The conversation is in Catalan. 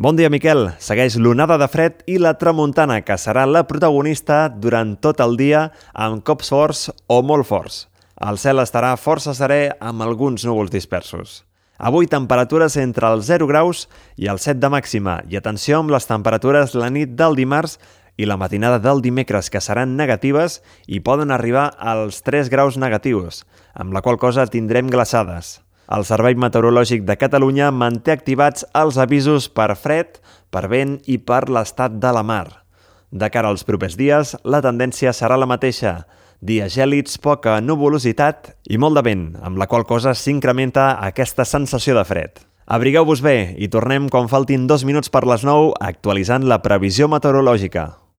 Bon dia, Miquel. Segueix l'onada de fred i la tramuntana, que serà la protagonista durant tot el dia amb cops forts o molt forts. El cel estarà força serè amb alguns núvols dispersos. Avui temperatures entre els 0 graus i els 7 de màxima. I atenció amb les temperatures la nit del dimarts i la matinada del dimecres, que seran negatives i poden arribar als 3 graus negatius, amb la qual cosa tindrem glaçades. El Servei Meteorològic de Catalunya manté activats els avisos per fred, per vent i per l'estat de la mar. De cara als propers dies, la tendència serà la mateixa. Dies gèlids, poca nuvolositat i molt de vent, amb la qual cosa s'incrementa aquesta sensació de fred. Abrigueu-vos bé i tornem quan faltin 2 minuts per les 9 actualitzant la previsió meteorològica.